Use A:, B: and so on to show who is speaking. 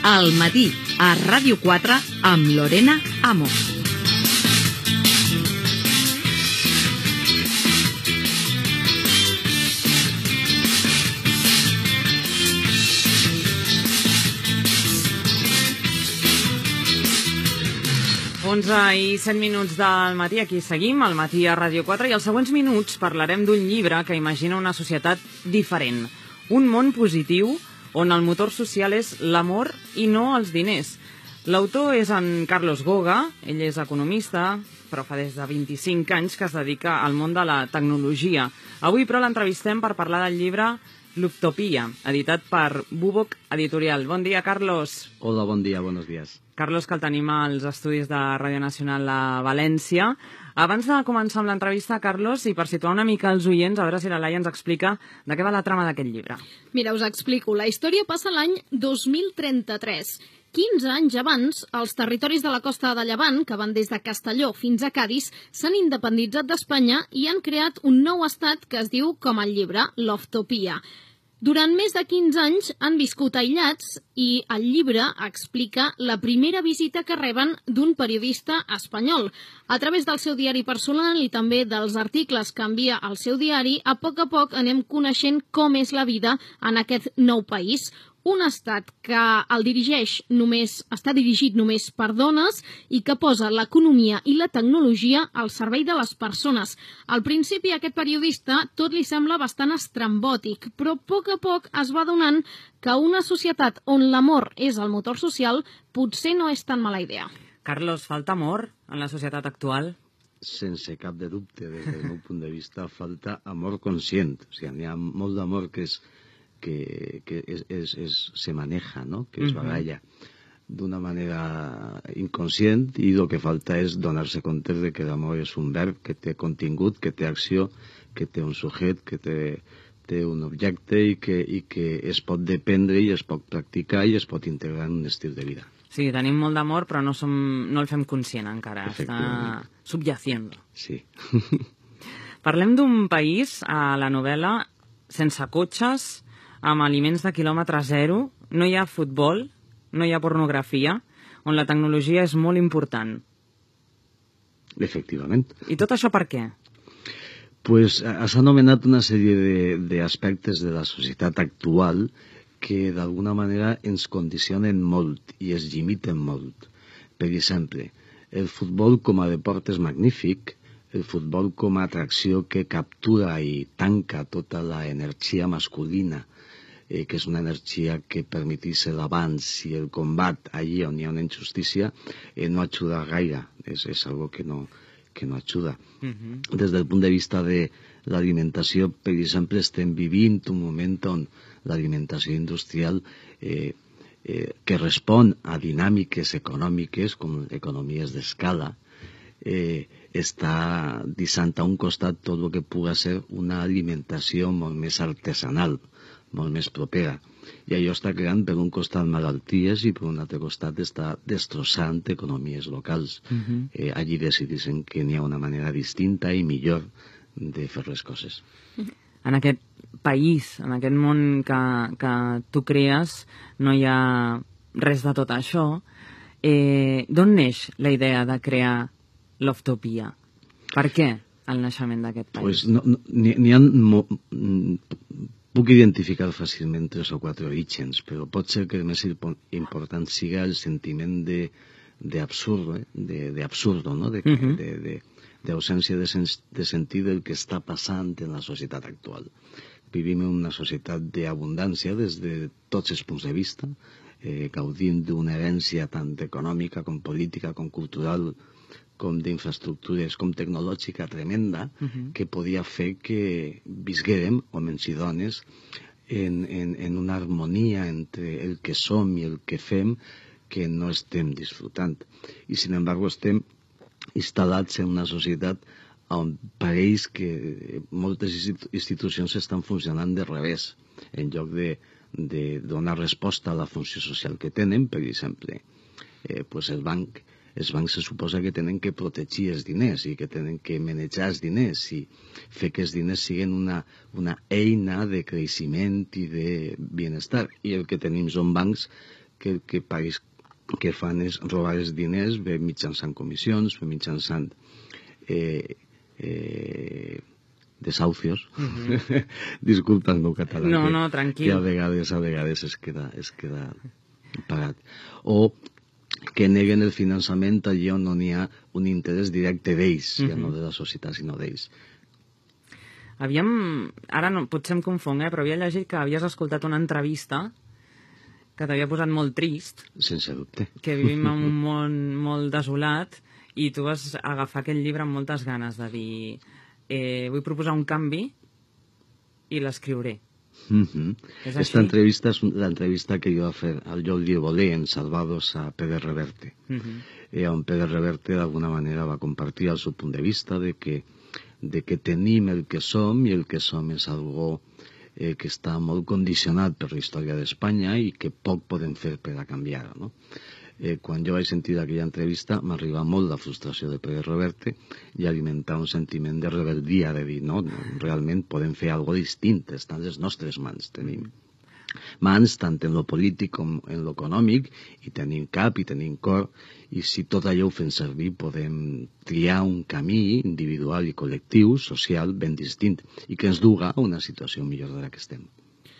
A: Al matí, a Ràdio 4, amb Lorena Amo.
B: I 7 minuts del matí, aquí seguim, al matí a Ràdio 4, i als següents minuts parlarem d'un llibre que imagina una societat diferent, un món positiu on el motor social és l'amor i no els diners. L'autor és en Carlos Goga, ell és economista, però fa des de 25 anys que es dedica al món de la tecnologia. Avui, però, l'entrevistem per parlar del llibre L'Utopia, editat per Bubok Editorial. Bon dia, Carlos.
C: Hola, bon dia, buenos días.
B: Carlos, que el tenim als estudis de Ràdio Nacional a València. Abans de començar amb l'entrevista, Carlos, i per situar una mica els oients, a veure si la Laia ens explica de què va la trama d'aquest llibre.
D: Mira, us explico. La història passa l'any 2033. 15 anys abans, els territoris de la costa de Llevant, que van des de Castelló fins a Cadis, s'han independitzat d'Espanya i han creat un nou estat que es diu, com el llibre, l'Utopia. Durant més de 15 anys han viscut aïllats i el llibre explica la primera visita que reben d'un periodista espanyol. A través del seu diari personal i també dels articles que envia al seu diari, a poc anem coneixent com és la vida en aquest nou país. Un estat que està dirigit només per dones i que posa l'economia i la tecnologia al servei de les persones. Al principi, a aquest periodista tot li sembla bastant estrambòtic, però a poc es va adonant que una societat on l'amor és el motor social potser no és tan mala idea.
B: Carlos, falta amor en la societat actual?
C: Sense cap de dubte, des del meu punt de vista, falta amor conscient. O sigui, n'hi ha molt d'amor que se maneja, ¿no? Que es baralla d'una manera inconscient, i el que falta és donar-se compte de que l'amor és un verb que té contingut, que té acció, que té un sujet, que té un objecte i que es pot dependre i es pot practicar i es pot integrar en un estil de vida.
B: Sí, tenim molt d'amor, però no el fem conscient encara, està subyaciendo.
C: Sí.
B: Parlem d'un país, a la novel·la, sense cotxes, amb aliments de quilòmetre zero, no hi ha futbol, no hi ha pornografia, on la tecnologia és molt important.
C: Efectivament.
B: I tot això per què?
C: Pues has anomenat una sèrie d'aspectes de la societat actual que d'alguna manera ens condicionen molt i es limiten molt. Per exemple, el futbol com a deport és magnífic, el futbol com a atracció que captura i tanca tota l'energia masculina, que és una energia que permetís l'avanç i el combat allí on hi ha una injustícia, no ajuda gaire, és algo que no ajuda. Des del punt de vista de l'alimentació, per exemple, estem vivint un moment on l'alimentació industrial que respon a dinàmiques econòmiques, com economies d'escala, està deixant a un costat tot el que pugui ser una alimentació molt més artesanal, molt més propera. I allò està creant per un costat malalties i per un altre costat està destrossant economies locals. Allí decidissin que n'hi ha una manera distinta i millor de fer les coses.
B: En aquest país, en aquest món que tu crees, no hi ha res de tot això. D'on neix la idea de crear l'Utopia? Per què el naixement d'aquest país?
C: Puc identificar fàcilment 3 o 4 orígens, però pot ser que el més important siga el sentiment d'absurdo, d'ausència de sentir del que està passant en la societat actual. Vivim en una societat d'abundància des de tots els punts de vista, gaudint d'una herència tant econòmica com política com cultural, com d'infraestructures, com tecnològica tremenda, que podia fer que visguérem, homes i dones, en una harmonia entre el que som i el que fem que no estem disfrutant. I, sin embargo, estem instal·lats en una societat on pareix que moltes institucions estan funcionant de revés, en lloc de donar resposta a la funció social que tenen. Per exemple, els bancs se suposa que tenen que protegir els diners i que tenen que manejar els diners i fer que els diners siguin una eina de creixement i de benestar. I el que tenim són bancs que el que fan és robar els diners, bé mitjançant comissions, bé mitjançant desahucios. Disculpa el meu català.
B: No, tranquil.
C: Que a vegades es queda pagat. O que neguen el finançament allí on no n'hi ha un interès directe d'ells, ja no de la societat, sinó d'ells.
B: Ara no, potser em confong, però havia llegit que havies escoltat una entrevista que t'havia posat molt trist.
C: Sense dubte.
B: Que vivim en un món molt desolat i tu vas agafar aquell llibre amb moltes ganes de dir vull proposar un canvi i l'escriuré.
C: Esta entrevista és l'entrevista que jo va fer al Lloc Llivolé en Salvados a Pere Reverte, on Pere Reverte d'alguna manera va compartir el seu punt de vista de que tenim el que som i el que som és algo que està molt condicionat per la història d'Espanya i que poc podem fer per a canviar-ho, no? Quan jo vaig sentir aquella entrevista m'arriba molt la frustració de Pere Reverte i alimentar un sentiment de rebeldia, de dir, no, realment podem fer alguna cosa distint, està en les nostres mans, tenim mans tant en lo polític com en lo econòmic, i tenim cap i tenim cor, i si tot allò ho fem servir podem triar un camí individual i col·lectiu, social, ben distint, i que ens duga a una situació millor de la que estem.